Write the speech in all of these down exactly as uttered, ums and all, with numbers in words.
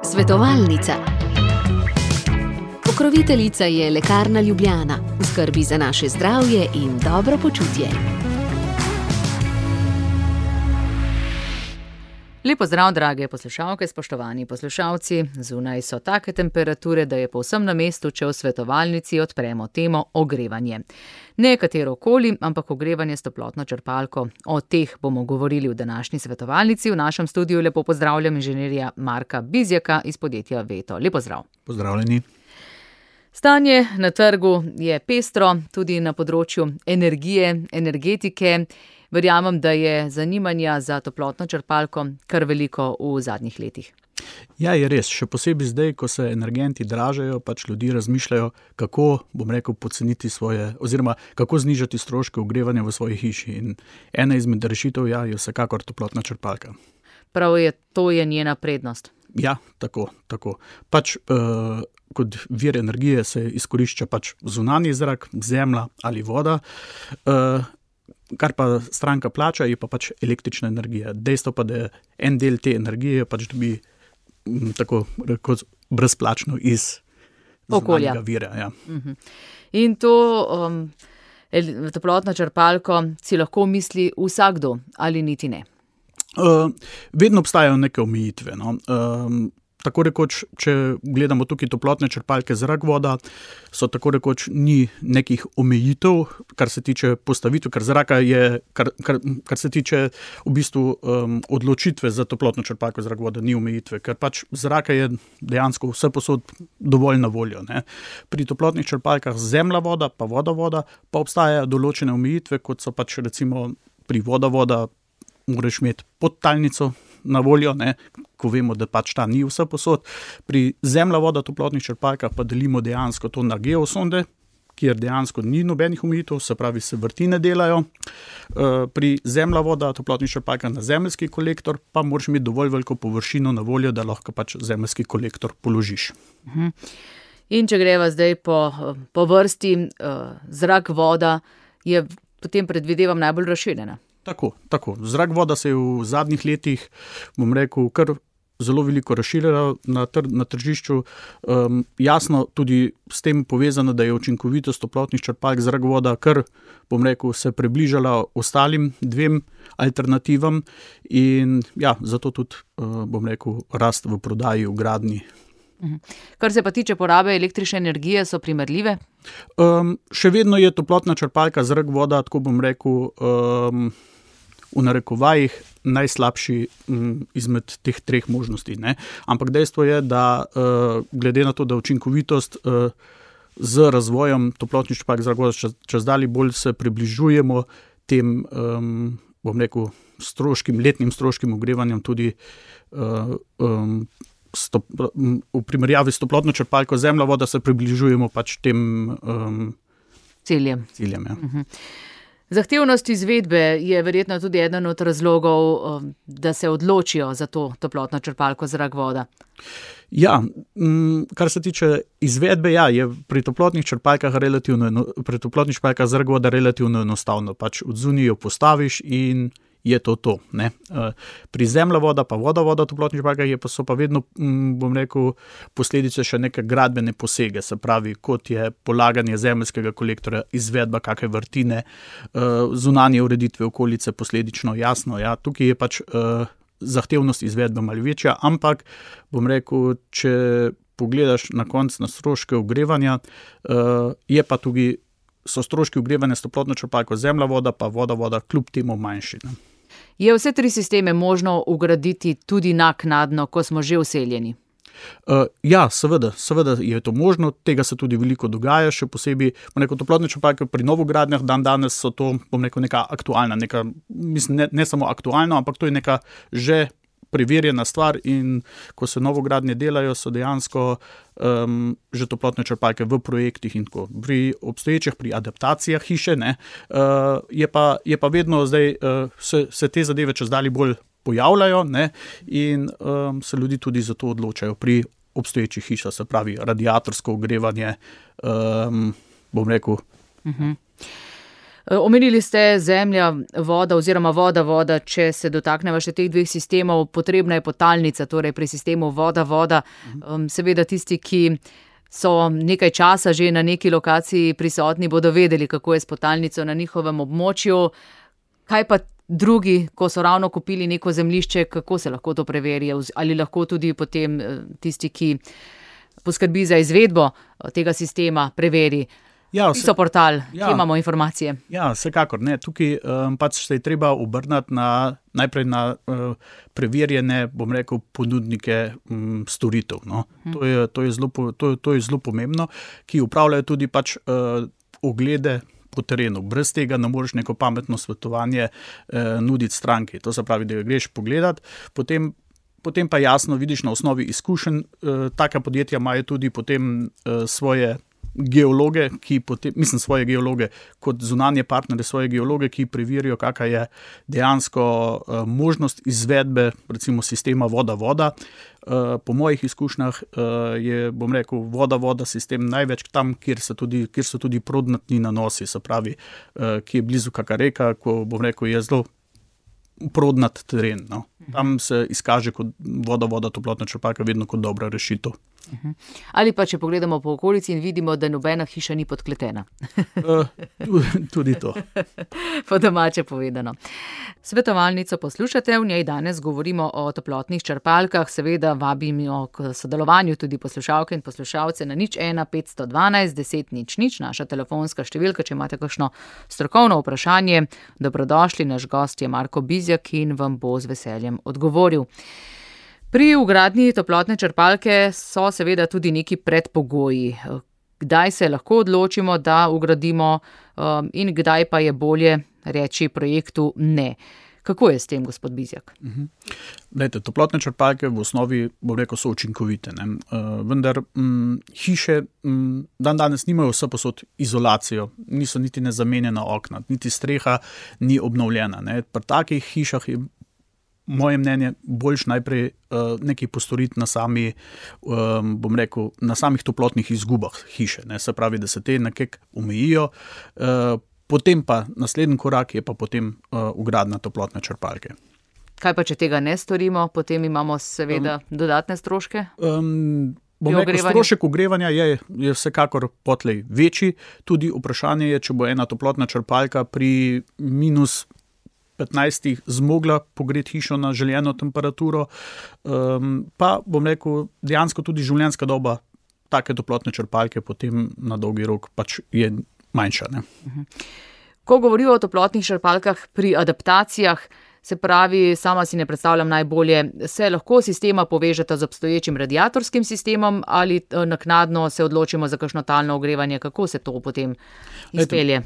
Svetovalnica. Pokroviteljica je Lekarna Ljubljana, v skrbi za naše zdravje in dobro počutje. Lepo zdrav, drage poslušalke, spoštovani poslušalci. Zunaj so take temperature, da je povsem na mestu, če v svetovalnici odpremo temo ogrevanje. Ne katero koli, ampak ogrevanje s toplotno črpalko. O teh bomo govorili v današnji svetovalnici. V našem studiu lepo pozdravljam inženirja Marka Bizjaka iz podjetja Veto. Lepo zdrav. Pozdravljeni. Stanje na trgu je pestro, tudi na področju energije, energetike. Verjamem, da je zanimanja za toplotno črpalko kar veliko v zadnjih letih. Ja, je res. Še posebej zdaj, ko se energenti dražajo, pač ljudi razmišljajo, kako, bom rekel, poceniti svoje, oziroma kako znižati stroške ogrevanja v svoji hiši. In ena izmed rešitev ja, je vsekakor toplotna črpalka. Prav je, to je njena prednost. Ja, tako, tako. Pač uh, kot vir energije se izkorišča pač zunanji zrak, zemlja ali voda. Uh, Kar pa stranka plača, je pa pač električna energija. Dejstvo pa, da en del te energije pač dobi m, tako rekoč brezplačno iz okolja. Zunanjega vira. Ja. Uh-huh. In to um, toplotno črpalko si lahko misli vsakdo ali niti ne? Uh, vedno obstajajo neke omejitve. No. Um, Tako rekoč, če gledamo tukaj toplotne črpalke zrak voda, so tako rekoč ni nekih omejitev, kar se tiče postavitve, kar zraka je, kar, kar, kar se tiče v bistvu um, odločitve za toplotno črpalko zrak voda, ni omejitve, ker pač zraka je dejansko vse posod dovolj na voljo. Ne. Pri toplotnih črpalkah zemlja voda, pa voda voda, pa obstajajo določene omejitve, kot so pač recimo pri voda voda, moraš imeti podtalnico na voljo, ne, ko vemo, da pač ta ni vse posod. Pri zemlja voda toplotnih črpalkah pa delimo dejansko to na geosonde, kjer dejansko ni nobenih omejitev, se pravi se vrtine delajo. Pri zemlja voda toplotnih črpalkah na zemeljski kolektor pa moraš imeti dovolj veliko površino na voljo, da lahko pač zemeljski kolektor položiš. Mhm. In če greva zdaj po, po vrsti, zrak, voda je potem predvidevam najbolj razširjena. Tako, tako. Zrak voda se je v zadnjih letih, bom rekel, kar zelo veliko razširila na, tr- na tržišču. Um, jasno, tudi s tem povezano, da je učinkovitost toplotnih črpalk zrak voda kar, bom rekel, se približala ostalim dvem alternativam in ja, zato tudi, uh, bom rekel, rast v prodaji, v gradnji. Kar se pa tiče porabe električne energije, so primerljive? Um, še vedno je toplotna črpalka zrak voda, tako bom rekel, um, v narekovajih najslabši um, izmed teh treh možnosti. Ne? Ampak dejstvo je, da uh, glede na to, da učinkovitost uh, z razvojem toplotnih črpalk zrak voda čez, čez dalje bolj se približujemo tem, um, bom rekel, stroškim, letnim stroškim ogrevanjem tudi uh, um, Stop, v primerjavi s toplotno črpalko zemlja voda se približujemo pač tem um, ciljem. ciljem ja. Uh-huh. Zahtevnost izvedbe je verjetno tudi eden od razlogov, da se odločijo za to toplotno črpalko zrak voda. Ja, kar se tiče izvedbe, ja, je pri toplotnih črpalkah relativno, pri toplotnih črpalkah zrak voda relativno enostavno. Pač od zunaj jo postaviš in je to to. Ne? Pri zemlja voda pa voda voda toplotnih črpalkah je pa so pa vedno, bom rekel, posledice še neke gradbene posege, se pravi, kot je polaganje zemeljskega kolektorja, izvedba kakšne vrtine, zunanje ureditve okolice, posledično jasno. Ja, tukaj je pač zahtevnost izvedbe malo večja, ampak bom rekel, če pogledaš na konec na stroške ogrevanja, je pa tudi so stroški ogrevanja s toplotno črpalko zemlja voda pa voda voda kljub temu manjši. Ne? Je vse tri sisteme možno ugraditi tudi naknadno, ko smo že vseljeni? Uh, ja, seveda, seveda je to možno, tega se tudi veliko dogaja, še posebej, bom rekel, toplotne črpalke pri novogradnjah dan danes so to, bom rekel, neka aktualna, neka, mislim, ne, ne samo aktualno, ampak to je neka že preverjena stvar in ko se novogradnje delajo, so dejansko um, že toplotne črpalke v projektih in tako. Pri obstoječih, pri adaptacijah hiše, ne, uh, je, pa, je pa vedno zdaj, uh, se, se te zadeve čez dalje bolj pojavljajo, ne, in um, se ljudi tudi za to odločajo pri obstoječih hišah, se pravi radiatorsko ogrevanje, um, bom rekel. Uh-huh. Omenili ste zemlja, voda oziroma voda, voda, če se dotakneva še teh dveh sistemov, potrebna je potalnica, torej pri sistemu voda, voda. Seveda tisti, ki so nekaj časa že na neki lokaciji prisotni, bodo vedeli, kako je s potalnico na njihovem območju. Kaj pa drugi, ko so ravno kupili neko zemljišče, kako se lahko to preveri? Ali lahko tudi potem tisti, ki poskrbi za izvedbo tega sistema, preveri? Ja, vse, portal, ja, kje imamo informacije? Ja, vsekakor. Ne. Tukaj um, pač se je treba obrnati na, najprej na uh, preverjene, bom rekel, ponudnike um, storitev. No. Hmm. To je, to je zelo, to, to je zelo pomembno, ki upravljajo tudi pač uh, oglede po terenu. Brez tega ne moreš neko pametno svetovanje uh, nuditi stranki. To se pravi, da greš pogledat, potem Potem pa jasno vidiš na osnovi izkušenj, uh, taka podjetja imajo tudi potem uh, svoje geologe, ki potem, mislim svoje geologe, kot zunanje partnere svoje geologe, ki preverijo, kakva je dejansko uh, možnost izvedbe, recimo sistema voda-voda. Uh, po mojih izkušnjah uh, je, bom rekel, voda-voda sistem največ tam, kjer so tudi, kjer so tudi prodnatni nanosi, se pravi, uh, ki je blizu kaka reka, ko, bom rekel, je zelo prodnat teren. No. Tam se izkaže kot voda-voda, toplotna črpalka vedno kot dobra rešitev. Ali pa, če pogledamo po okolici in vidimo, da nobena hiša ni podkletena. uh, tudi to. Po domače povedano. Svetovalnico poslušate, v njej danes govorimo o toplotnih črpalkah, seveda vabimo k sodelovanju tudi poslušalke in poslušalce na nič ena petsto dvanajst deset nič nič, naša telefonska številka, če imate kakšno strokovno vprašanje. Dobrodošli, naš gost je Marko Bizjak in vam bo z veseljem odgovoril. Pri vgradnji toplotne črpalke so seveda tudi neki predpogoji. Kdaj se lahko odločimo, da vgradimo um, in kdaj pa je bolje reči projektu ne. Kako je s tem, gospod Bizjak? Uh-huh. Lejte, toplotne črpalke v osnovi, bom rekel, so učinkovite. Ne? Uh, vendar m, hiše m, dan danes nimajo vse posod izolacijo, niso niti nezamenjena okna, niti streha ni obnovljena. Ne? Pri takih hišah je moje mnenje boljš najprej uh, nekaj postoriti na sami, um, bom rekel, na samih toplotnih izgubah hiše. Ne? Se pravi, da se te nekako omejijo, uh, potem pa naslednji korak je pa potem uh, vgradnja toplotne črpalke. Kaj pa, če tega ne storimo, potem imamo seveda um, dodatne stroške? Um, bom rekel, strošek ogrevanja je, je vsekakor potlej večji, tudi vprašanje je, če bo ena toplotna črpalka pri minus petnajstih zmogla pogreti hišo na željeno temperaturo, um, pa bom rekel, dejansko tudi življenjska doba take toplotne črpalke potem na dolgi rok pač je manjša. Ne? Ko govorijo o toplotnih črpalkah pri adaptacijah, se pravi, sama si ne predstavljam najbolje, se lahko sistema povežeta z obstoječim radiatorskim sistemom ali naknadno se odločimo za kakšno talno ogrevanje, kako se to potem izpelje?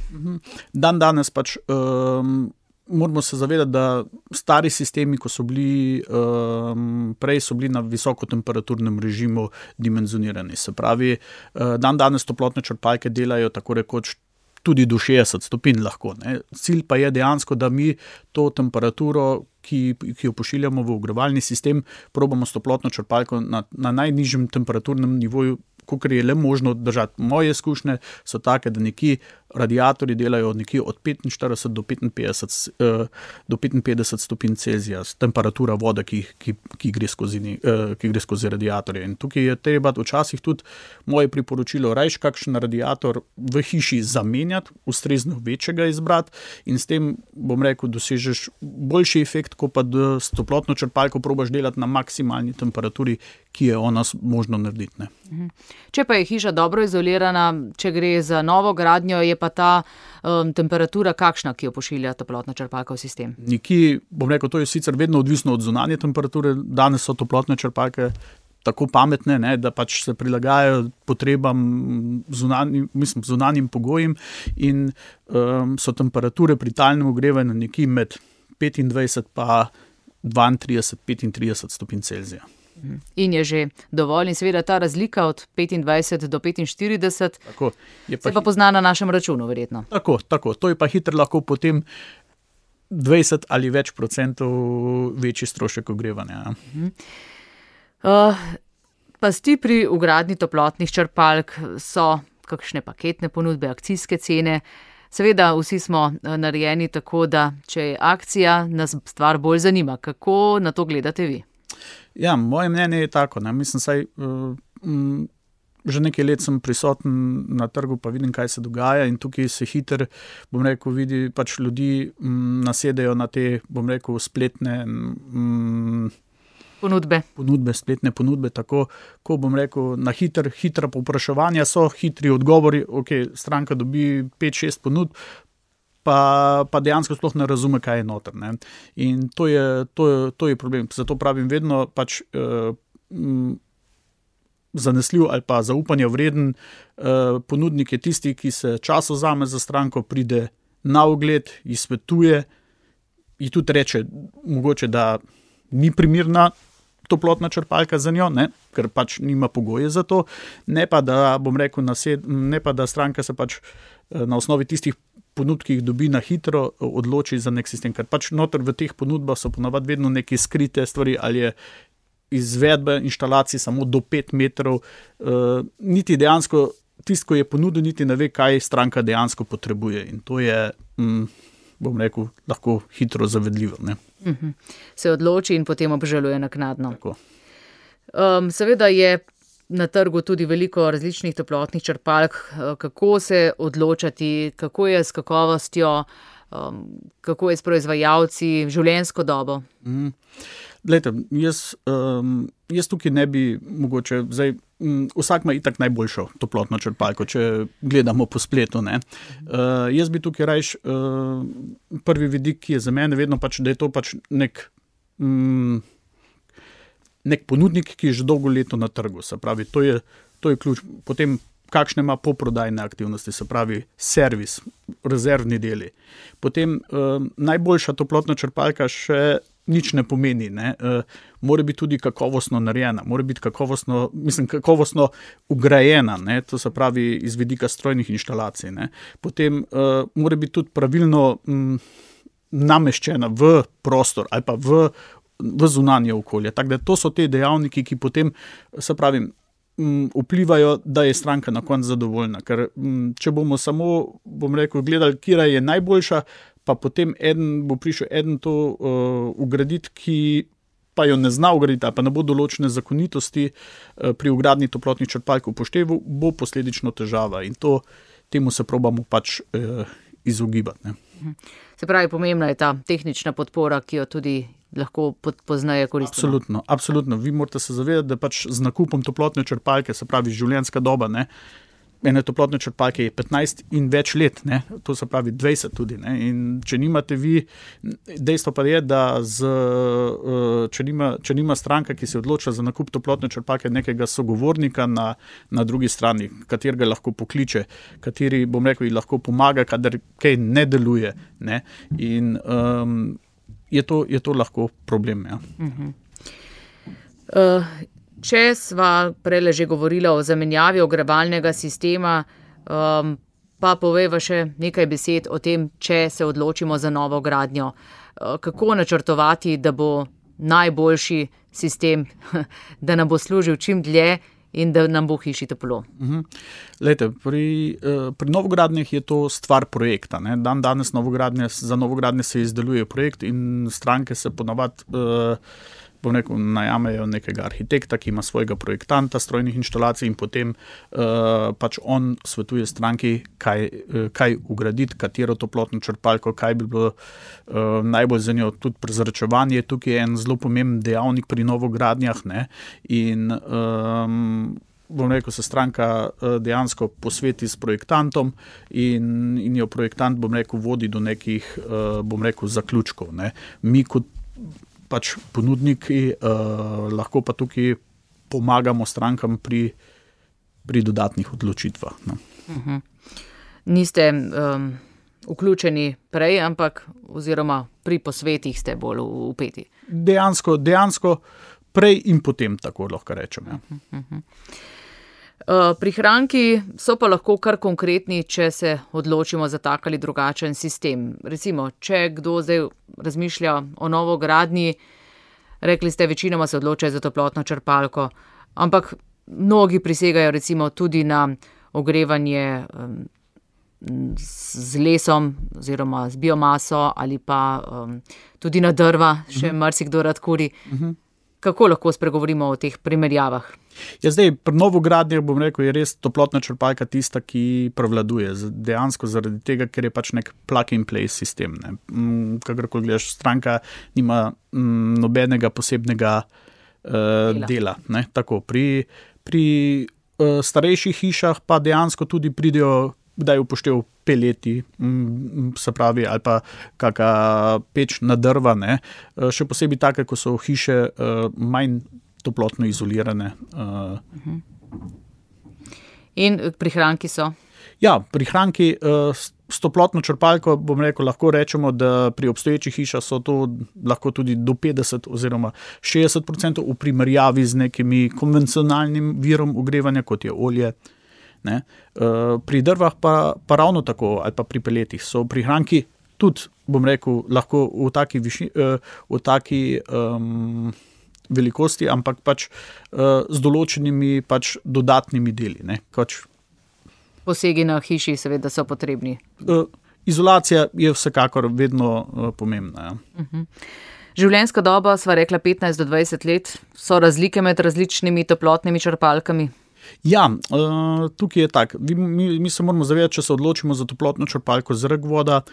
Dan danes pač um, moramo se zavedati, da stari sistemi, ko so bili um, prej, so bili na visokotemperaturnem režimu dimenzionirani. Se pravi, uh, dan danes toplotne črpalke delajo tako rekoč tudi do šestdeset stopinj lahko. Ne. Cilj pa je dejansko, da mi to temperaturo, ki, ki jo pošiljamo v ogrevalni sistem, probamo s toplotno črpalko na, na najnižjem temperaturnem nivoju, kolikor je le možno držati. Moje izkušnje so take, da nekje radiatorji delajo nekje od petinštirideset do petinpetdeset, uh, do petinpetdeset stopinj Celzija, temperatura vode, ki, ki, ki, gre skozi, uh, ki gre skozi radiatorje. In tukaj je treba včasih tudi moje priporočilo, rajš kakšen radiator v hiši zamenjati, ustrezno večjega izbrati in s tem, bom rekel, dosežeš boljši efekt, ko pa s toplotno črpalko probaš delati na maksimalni temperaturi, ki je ona možno narediti. Ne. Če pa je hiša dobro izolirana, če gre za novo gradnjo, je pa ta um, temperatura kakšna, ki jo pošilja toplotna črpalka v sistem? Nikjer, bom rekel, to je sicer vedno odvisno od zunanje temperature, danes so toplotne črpalke tako pametne, ne, da pač se prilagajajo potrebam zunanjim, mislim, zunanjim pogojem in um, so temperature pri talnem ogrevanju nekje med petindvajset pa dvaintrideset, petintrideset stopinj Celzija. In je že dovolj in seveda ta razlika od petindvajset do petinštirideset tako, je pa, se pa pozna na našem računu verjetno. Tako, tako, to je pa hitro lahko potem dvajset ali več procentov večji strošek ogrevanja. Uh, pasti pri vgradnji toplotnih črpalk so kakšne paketne ponudbe, akcijske cene. Seveda vsi smo narejeni tako, da če je akcija, nas stvar bolj zanima. Kako na to gledate vi? Ja, moje mnenje je tako, ne, mislim, saj uh, um, že nekaj let sem prisoten na trgu, pa vidim, kaj se dogaja in tukaj se hiter, bom rekel, vidi, pač ljudi um, nasedejo na te, bom rekel, spletne um, ponudbe. ponudbe, spletne ponudbe, tako, ko bom rekel, na hiter, hitra povpraševanja so, hitri odgovori, ok, stranka dobi pet šest ponudb, pa, pa dejansko sploh ne razume, kaj je noter, ne. In to je, to je, to je problem. Zato pravim vedno pač uh, m, zanesljiv ali pa zaupanja vreden uh, ponudnik je tisti, ki se čas vzame za stranko, pride na ogled, ji svetuje, ji tudi reče, mogoče, da ni primerna toplotna črpalka za njo, ne, ker pač nima pogoje za to, ne pa da, bom rekel, nased, ne pa da stranka se pač na osnovi tistih ponudb, ki jih dobi na hitro, odloči za nek sistem, ker pač noter v teh ponudbah so ponavadi vedno neke skrite stvari, ali je izvedbe inštalacij samo do pet metrov, uh, niti dejansko, tisto, ko je ponudil, niti ne ve, kaj stranka dejansko potrebuje in to je, mm, bom rekel, lahko hitro zavedljivo, ne. Uh-huh. Se odloči in potem obžaluje naknadno. Tako. Um, seveda je na trgu tudi veliko različnih toplotnih črpalk. Kako se odločati, kako je s kakovostjo, um, kako je s proizvajalci, življenjsko dobo? Mm. Glejte, jaz, um, jaz tukaj ne bi mogoče, zdaj, um, vsak ima itak najboljšo toplotno črpalko, če gledamo po spletu, ne. Uh, jaz bi tukaj rajš, uh, prvi vidik, ki je za mene vedno pač, da je to pač nek, um, nek ponudnik, ki je že dolgo leto na trgu, se pravi, to je, to je ključ, potem kakšne ima poprodajne aktivnosti, se pravi, servis, rezervni deli. Potem uh, najboljša toplotna črpalka še nič ne pomeni, ne. Uh, mora biti tudi kakovostno narejena, mora biti kakovostno, mislim, kakovostno ugrajena, ne, to se pravi iz vidika strojnih inštalacij, ne. Potem uh, mora biti tudi pravilno um, nameščena v prostor ali pa v, v zunanje okolje. Tako da to so te dejavniki, ki potem, se pravi, um, vplivajo, da je stranka na koncu zadovoljna, ker um, če bomo samo, bom rekel, gledali, kira je najboljša, pa potem eden bo prišel eden to uh, ugraditi, ki pa jo ne zna ugraditi, ali pa ne bo določene zakonitosti uh, pri ugradnji toplotnih črpalk upošteval, bo posledično težava in to, temu se probamo pač uh, izogibati, ne. Se pravi, pomembna je ta tehnična podpora, ki jo tudi lahko pozneje koristimo. Absolutno, absolutno. Vi morate se zavedati, da pač z nakupom toplotne črpalke, se pravi življenjska doba, ne, ene toplotne črpalke je petnajst in več let, ne, to se pravi dvajset tudi, ne, in če nimate vi, dejstvo pa je, da z, če nima, če nima stranka, ki se odloča za nakup toplotne črpalke, nekega sogovornika na, na drugi strani, katerega lahko pokliče, kateri, bom rekel, ji lahko pomaga, kadar kaj ne deluje, ne, in um, je to, je to lahko problem, ja. Uh-huh. Uh, Če sva prej že govorila o zamenjavi ogrevalnega sistema, um, pa povejva še nekaj besed o tem, če se odločimo za novo gradnjo. Uh, kako načrtovati, da bo najboljši sistem, da nam bo služil čim dlje in da nam bo v hiši toplo? Uh-huh. Lejte, pri, uh, pri novogradnjah je to stvar projekta, ne. Dan danes novogradnje, za novogradnje se izdeluje projekt in stranke se ponavadi uh, bom rekel, najamejo nekega arhitekta, ki ima svojega projektanta strojnih inštalacij in potem uh, pač on svetuje stranki, kaj, uh, kaj ugraditi, katero toplotno črpalko, kaj bi bilo uh, najbolj za njo. Tudi prezračevanje, tukaj je en zelo pomemben dejavnik pri novogradnjah, ne, in um, bom rekel, se stranka uh, dejansko posveti s projektantom in, in jo projektant, bom rekel, vodi do nekih, uh, bom rekel, zaključkov, ne. Mi kot pač ponudniki, uh, lahko pa tukaj pomagamo strankam pri, pri dodatnih odločitvah. No. Uh-huh. Niste um, vključeni prej, ampak oziroma pri posvetih ste bolj vpeti. Dejansko, dejansko prej in potem, tako lahko rečem. Ja. Uh-huh. Uh, prihranki so pa lahko kar konkretni, če se odločimo za tak ali drugačen sistem. Recimo, če kdo zdaj razmišlja o novogradnji, rekli ste, večinoma se odločajo za toplotno črpalko, ampak mnogi prisegajo recimo tudi na ogrevanje um, z lesom oziroma z biomaso ali pa um, tudi na drva, še uh-huh. marsikdo rad kuri. Uh-huh. Kako lahko spregovorimo o teh primerjavah? Ja, zdaj, pri novogradnjah, bom rekel, je res toplotna črpalka tista, ki prevladuje. Dejansko zaradi tega, ker je pač nek plug-and-play sistem. Ne. Kakorkoli gledaš, stranka nima m, nobenega posebnega uh, dela. dela ne. Tako, pri pri uh, starejših hišah pa dejansko tudi pridejo, kdaj upoštev peleti, m, se pravi, ali pa kaka peč na drva, ne. Uh, še posebej take, ko so hiše uh, manj toplotno izolirane. Uh. In prihranki so? Ja, prihranki uh, s toplotno črpalko, bom rekel, lahko rečemo, da pri obstoječih hišah so to lahko tudi do petdeset oziroma šestdeset procentov v primerjavi z nekimi konvencionalnim virom ogrevanja, kot je olje. Ne. Uh, pri drvah pa, pa ravno tako, ali pa pri peletih so prihranki tudi, bom rekel, lahko v taki, viši, uh, v taki um, velikosti, ampak pač uh, z določenimi pač dodatnimi deli. Ne. Pač, posegi na hiši seveda so potrebni. Uh, izolacija je vsekakor vedno uh, pomembna. Ja. Uh-huh. Življenjska doba, sva rekla petnajst do dvajset let, so razlike med različnimi toplotnimi črpalkami? Ja, uh, tukaj je tak. Mi, mi se moramo zavedati, če se odločimo za toplotno črpalko zrak voda,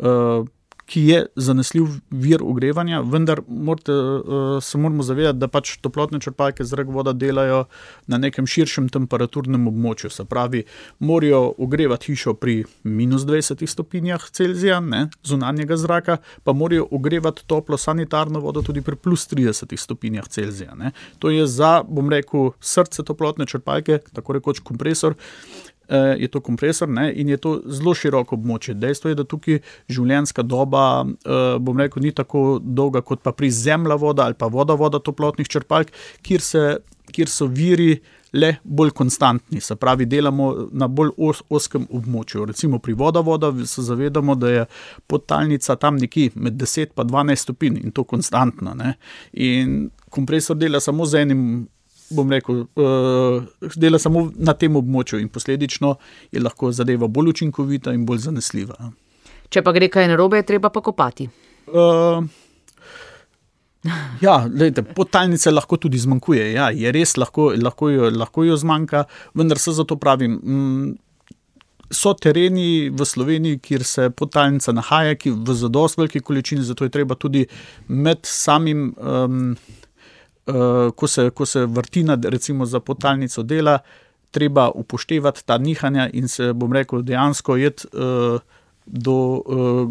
uh, ki je zanesljiv vir ogrevanja, vendar morate, uh, se moramo zavedati, da pač toplotne črpalke zrak voda delajo na nekem širšem temperaturnem območju. Se pravi, morajo ogrevati hišo pri minus dvajsetih stopinjah Celzija, ne, zunanjega zraka, pa morajo ogrevati toplo sanitarno vodo tudi pri plus tridesetih stopinjah Celzija. Ne. To je za, bom rekel, srce toplotne črpalke, tako rekoč kompresor, je to kompresor, ne, in je to zelo široko območje. Dejstvo je, da tukaj življenjska doba, bom rekel, ni tako dolga kot pa pri zemlja voda ali pa voda voda toplotnih črpalk, kjer, se, kjer so viri le bolj konstantni, se pravi, delamo na bolj os, oskem območju. Recimo pri voda voda se zavedamo, da je podtalnica tam nekje med deset pa dvanajst stopinj in to konstantno. Ne. In kompresor dela samo z enim, bom rekel, uh, dela samo na tem območju in posledično je lahko zadeva bolj učinkovita in bolj zanesljiva. Če pa gre kaj narobe, je treba pa kopati. Uh, ja, glejte, podtalnice lahko tudi zmanjkuje. Ja, je res, lahko, lahko, jo, lahko jo zmanjka, vendar se zato pravim, m, so tereni v Sloveniji, kjer se podtalnica nahaja, ki v zadost veliki količini, zato je treba tudi med samim um, Uh, ko, se, ko se vrtina recimo za podtalnico dela, treba upoštevati ta nihanja in se, bom rekel, dejansko jeti uh, do uh,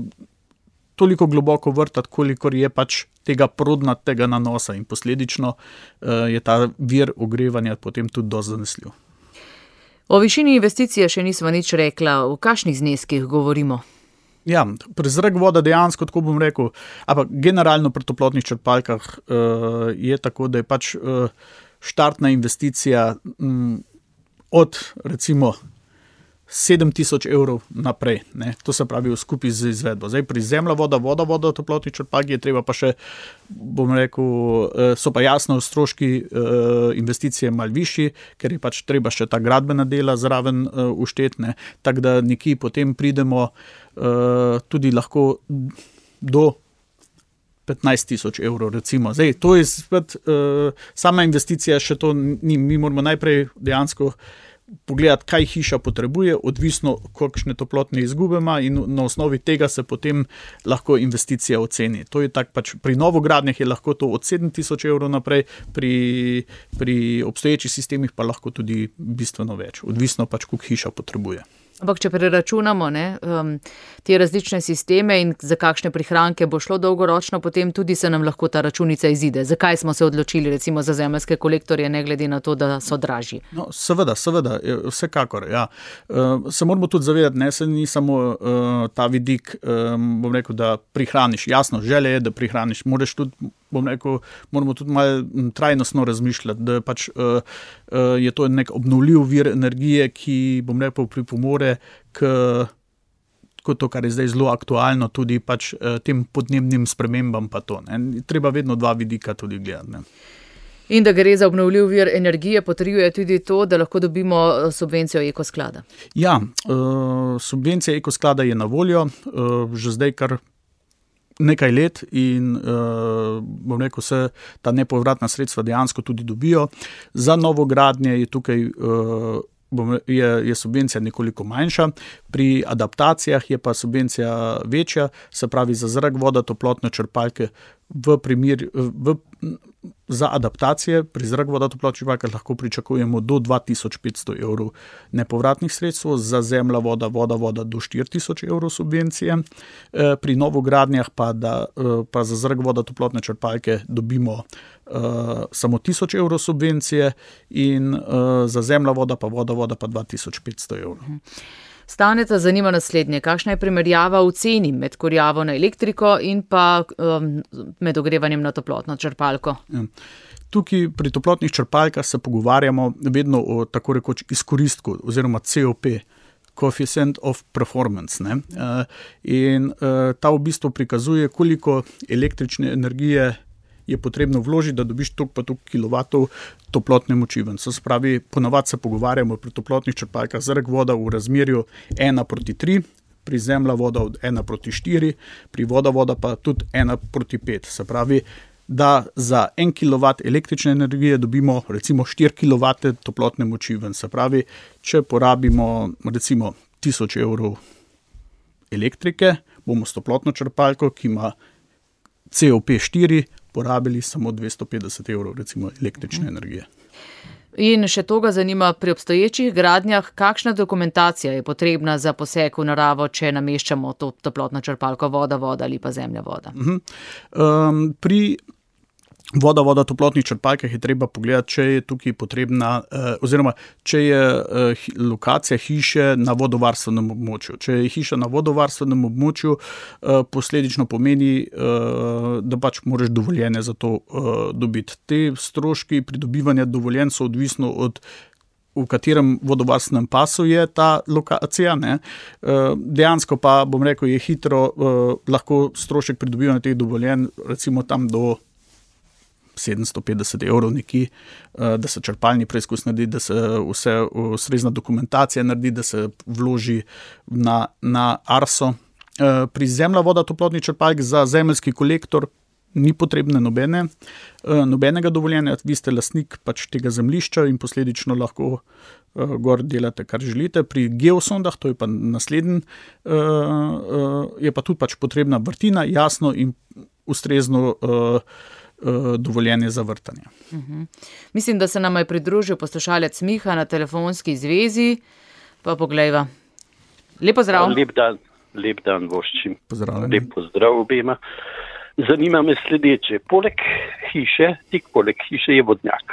toliko globoko vrtati, kolikor je pač tega prodnatega nanosa in posledično uh, je ta vir ogrevanja potem tudi dosti zanesljiv. O višini investicije še nismo nič rekla, o kakšnih zneskih govorimo? Ja, pri zrak voda dejansko, tako bom rekel, ampak generalno pri toplotnih črpalkah uh, je tako, da je pač uh, štartna investicija um, od recimo sedem tisoč evrov naprej, ne, to se pravi v skupaj z izvedbo. Zdaj pri zemlja voda, voda voda toplotnih črpalk je treba pa še, bom rekel, uh, so pa jasno stroški uh, investicije malo višji, ker je pač treba še ta gradbena dela zraven uh, uštetne, tako da nekje potem pridemo Uh, tudi lahko do petnajst tisoč evrov, recimo. Zdaj, to je spet, uh, sama investicija še to ni, mi moramo najprej dejansko pogledati, kaj hiša potrebuje, odvisno, kakšne toplotne izgube ima in na osnovi tega se potem lahko investicija oceni. To je tak pač, pri novogradnjah je lahko to od sedem tisoč evrov naprej, pri, pri obstoječih sistemih pa lahko tudi bistveno več, odvisno pač, koliko hiša potrebuje. Ampak če preračunamo ne, um, te različne sisteme in za kakšne prihranke bo šlo dolgoročno, potem tudi se nam lahko ta računica izide. Zakaj smo se odločili recimo za zemeljske kolektorje, ne glede na to, da so dražji? No, seveda, seveda, vsekakor. Ja. Uh, se moramo tudi zavedati, ne, se ni samo uh, ta vidik, um, bom rekel, da prihraniš. Jasno, želje je, da prihraniš. Moraš tudi, bom rekel, moramo tudi malo trajnostno razmišljati, da pač uh, uh, je to nek obnovljiv vir energije, ki, bom rekel, pripomore k kot to, kar je zdaj zelo aktualno, tudi pač tem podnebnim spremembam pa to. Ne. Treba vedno dva vidika tudi gledati. Ne. In da gre za obnovljiv vir energije, potrjuje tudi to, da lahko dobimo subvencijo Ekosklada. Ja, subvencija Ekosklada je na voljo, že zdaj kar nekaj let in bom rekel, se ta nepovratna sredstva dejansko tudi dobijo. Za novogradnje je tukaj Je, je subvencija nekoliko manjša, pri adaptacijah je pa subvencija večja, se pravi za zrak, voda, toplotne črpalke v primer, v, za adaptacije pri zrak, voda, toplotne črpalke lahko pričakujemo do dva tisoč petsto evrov nepovratnih sredstev, za zemlja, voda, voda, voda do štiri tisoč evrov subvencije, pri novogradnjah pa, da, pa za zrak, voda, toplotne črpalke dobimo Uh, samo tisoč evrov subvencije in uh, za zemlja, voda pa voda, voda pa dva tisoč petsto evrov. Staneta zanima naslednje, kakšna je primerjava v ceni med kurjavo na elektriko in pa um, med ogrevanjem na toplotno črpalko? Ja. Tukaj pri toplotnih črpalkah se pogovarjamo vedno o tako rekoč izkoristku oziroma C O P, Coefficient of Performance. Ne? Uh, in uh, ta v bistvu prikazuje, koliko električne energije je potrebno vložiti, da dobiš toliko pa toliko kilovatov toplotne moči. Se pravi, ponavadi se pogovarjamo pri toplotnih črpalkah zrak, voda v razmerju ena proti tri, pri zemlja, voda od ena proti štiri, pri voda, voda pa tudi ena proti pet. Se pravi, da za en kilovat električne energije dobimo recimo štiri kilovate toplotne moči. Se pravi, če porabimo recimo tisoč evrov elektrike, bomo s toplotno črpalko, ki ima C O P štiri, porabili samo dvesto petdeset evrov recimo električne energije. In še to ga zanima, pri obstoječih gradnjah, kakšna dokumentacija je potrebna za poseg v naravo, če nameščamo to toplotno črpalko voda, voda ali pa zemlja, voda? Uh-huh. Um, pri voda, voda, toplotnih črpalkah je treba pogledati, če je tukaj potrebna, eh, oziroma če je eh, lokacija hiše na vodovarstvenem območju. Če je hiša na vodovarstvenem območju, eh, posledično pomeni, eh, da pač moraš dovoljenje za to eh, dobiti. Te stroški pridobivanja dovoljenj so odvisno od v katerem vodovarstvenem pasu je ta lokacija. Ne. Dejansko pa, bom rekel, je hitro eh, lahko strošek pridobivanja teh dovoljenj, recimo tam do sedemsto petdeset evrov nekje, da se črpalni preizkus naredi, da se vse ustrezna dokumentacija naredi, da se vloži na, na Arso. Pri zemlja, voda, toplotni črpalk za zemeljski kolektor ni potrebne nobene, nobenega dovoljenja, vi ste lastnik pač tega zemljišča in posledično lahko gor delate, kar želite. Pri geosondah, to je pa naslednji, je pa tudi pač potrebna vrtina, jasno in ustrezno dovoljenje za vrtanje. Uh-huh. Mislim, da se nam je pridružil poslušalec Miha na telefonski zvezi, pa poglejva. Lep pozdrav. Lep dan, lep dan voščim. Pozdravljeni. Lep pozdrav obema. Zanima me sledeče. Poleg hiše, tik poleg hiše je vodnjak,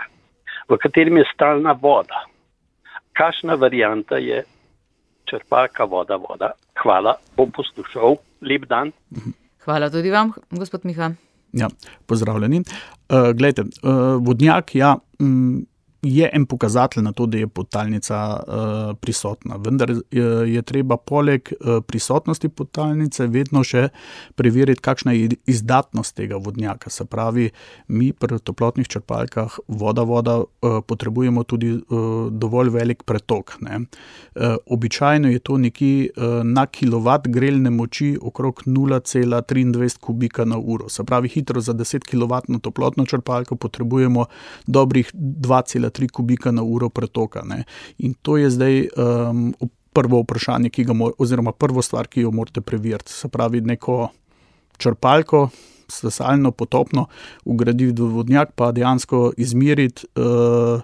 v katerem je stalna voda. Kakšna varianta je črpalka voda, voda? Hvala, bom poslušal. Lep dan. Hvala tudi vam, gospod Miha. Ja, pozdravljeni. Uh, glejte, uh, vodnjak, ja, um, je en pokazatelj na to, da je podtalnica uh, prisotna. Vendar je, je treba poleg uh, prisotnosti podtalnice vedno še preveriti, kakšna je izdatnost tega vodnjaka. Se pravi, mi pri toplotnih črpalkah voda, voda uh, potrebujemo tudi uh, dovolj velik pretok. Ne? Uh, običajno je to nekje uh, na kilovat grelne moči okrog nula cela triindvajset kubika na uro. Se pravi, hitro za deset kilovatno toplotno črpalko potrebujemo dobrih dva cela tri kubika na uro pretoka. Ne. In to je zdaj um, prvo vprašanje, ki ga mor, oziroma prvo stvar, ki jo morate preveriti. Se pravi, neko črpalko, sesalno, potopno, ugraditi v vodnjak, pa dejansko izmeriti, uh,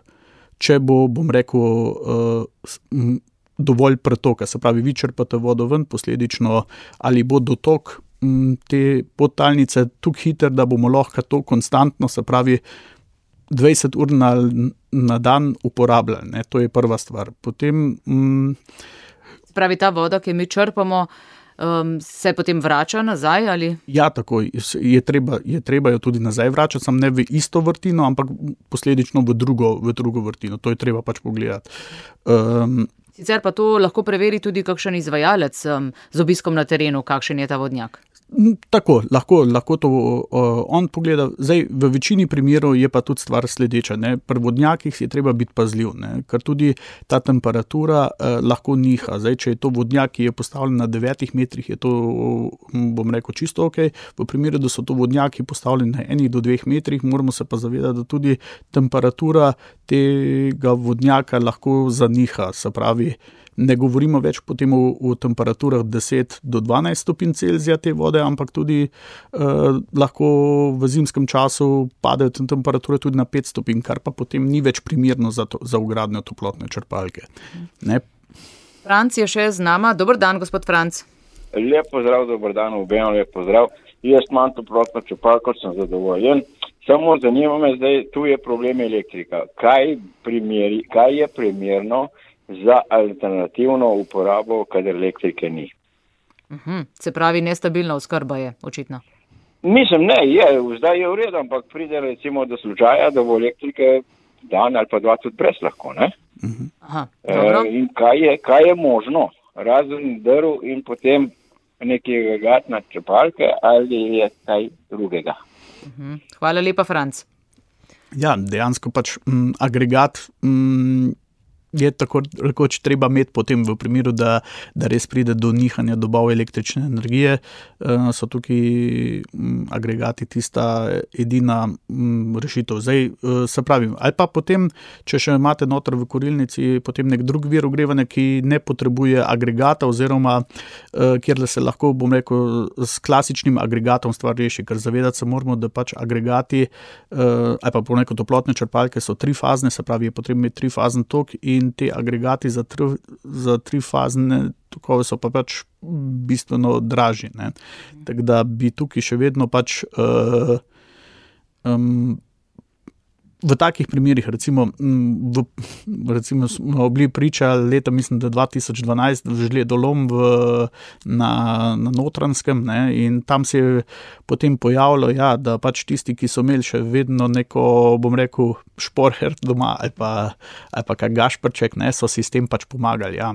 če bo, bom rekel, uh, dovolj pretoka. Se pravi, vi črpate vodo ven, posledično, ali bo dotok um, te podtalnice tako hiter, da bomo lahko to konstantno, se pravi, dvajset ur na, na dan uporabljali. Ne? To je prva stvar. Potem, mm, Spravi, ta voda, ki mi črpamo, um, se potem vrača nazaj? Ali? Ja, tako. Je treba, je treba jo tudi nazaj vračati, sam ne v isto vrtino, ampak posledično v drugo, v drugo vrtino. To je treba pač pogledati. Um, Sicer pa to lahko preveri tudi kakšen izvajalec um, z obiskom na terenu, kakšen je ta vodnjak. Tako, lahko, lahko to uh, on pogleda. Zdaj, v večini primerov je pa tudi stvar sledeča. Ne? Pri vodnjakih je treba biti pazljiv, ne? Ker tudi ta temperatura uh, lahko niha. Zdaj, če je to vodnjak, ki je postavljen na devetih metrih, je to, bom rekel, čisto ok. V primeru, da so to vodnjaki postavljeni na enih do dveh metrih, moramo se pa zavedati, da tudi temperatura tega vodnjaka lahko zaniha. Se pravi, ne govorimo več potem o, o temperaturah deset do dvanajst stopinj Celzija te vode, ampak tudi eh, lahko v zimskem času padejo temperature tudi na pet stopinj, kar pa potem ni več primerno za, to, za vgradnjo toplotne črpalke. Ne? Franc je še z nama. Dober dan, gospod Franc. Lep pozdrav, dober dan, obema lep pozdrav. Jaz imam toplotno črpalko, sem zadovoljen. Samo zanima me zdaj, tu je problem elektrika. Kaj, primeri, kaj je primerno za alternativno uporabo, kadar elektrike ni? Uhum, se pravi, nestabilna oskrba je, očitno. Mislim, ne, je, zdaj je v redu, ampak pride recimo do slučaja, da bo elektrike dan ali pa dva tudi brez lahko, ne? Aha, dobro. E, in kaj je, kaj je možno? Razen drv in potem nekaj agregatna črpalke ali je kaj drugega? Uhum. Hvala lepa, Franc. Ja, dejansko pač m, agregat m, je tako rekoč treba imeti potem v primeru, da, da res pride do nihanja dobav električne energije. Uh, so tukaj m, agregati tista edina m, rešitev. Zdaj, uh, se pravi, ali pa potem, če še imate noter v kurilnici potem nek drug vir ogrevanja, ki ne potrebuje agregata oziroma uh, kjer se lahko, bom rekel, s klasičnim agregatom stvar reši, ker zavedati se moramo, da pač agregati uh, ali pa po neko toplotne črpalke so trifazne, se pravi, je potrebno imeti trifazen tok in in te agregati za, tri, za trifazne tokove so pa pač bistveno dražji. Ne. Tako da bi tukaj še vedno pač uh, um, v takih primerih, recimo, v, recimo smo bili priča leta, mislim, da dva tisoč dvanajst v žledolom v, na, na Notranjskem, ne, in tam se je potem pojavilo, ja, da pač tisti, ki so imeli še vedno neko, bom rekel, šporher doma ali pa, ali pa kak gašprček, ne, so si s tem pač pomagali, ja,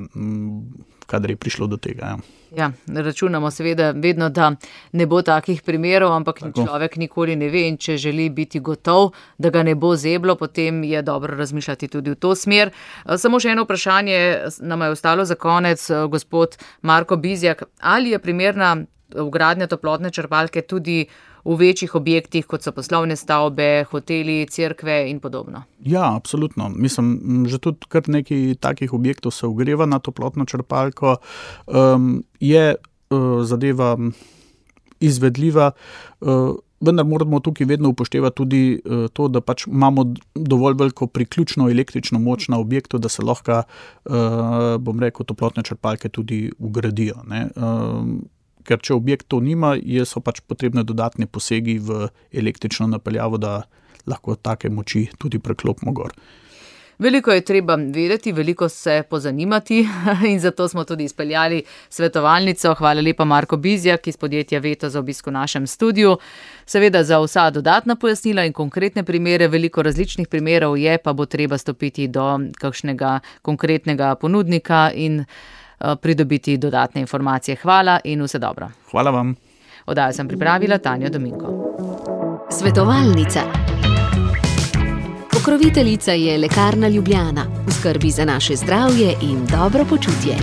kadar je prišlo do tega, ja. Ja, računamo seveda vedno, da ne bo takih primerov, ampak Tako. človek nikoli ne ve in če želi biti gotov, da ga ne bo zeblo, potem je dobro razmišljati tudi v to smer. Samo še eno vprašanje nam je ostalo za konec, gospod Marko Bizjak. Ali je primerna vgradnja toplotne črpalke tudi v večjih objektih, kot so poslovne stavbe, hoteli, cerkve in podobno? Ja, absolutno. Mislim, že tudi kar nekaj takih objektov se ogreva na toplotno črpalko. Um, je uh, zadeva izvedljiva, uh, vendar moramo tukaj vedno upoštevati tudi uh, to, da pač imamo dovolj veliko priključno električno moč na objektu, da se lahko, uh, bom rekel, toplotne črpalke tudi vgradijo, ne. Um, Ker če objekt to nima, so pač potrebne dodatne posegi v električno napeljavo, da lahko take moči tudi preklopimo gor. Veliko je treba vedeti, veliko se pozanimati in zato smo tudi izpeljali svetovalnico. Hvala lepa Marko Bizjak iz podjetja Veto za obisk v našem studiu. Seveda za vsa dodatna pojasnila in konkretne primere, veliko različnih primerov je, pa bo treba stopiti do kakšnega konkretnega ponudnika in pridobiti dodatne informacije. Hvala in vse dobro. Hvala vam. Oddajo sem pripravila Tanja Dominko. Svetovalnica. Pokroviteljica je Lekarna Ljubljana. V skrbi za naše zdravje in dobro počutje.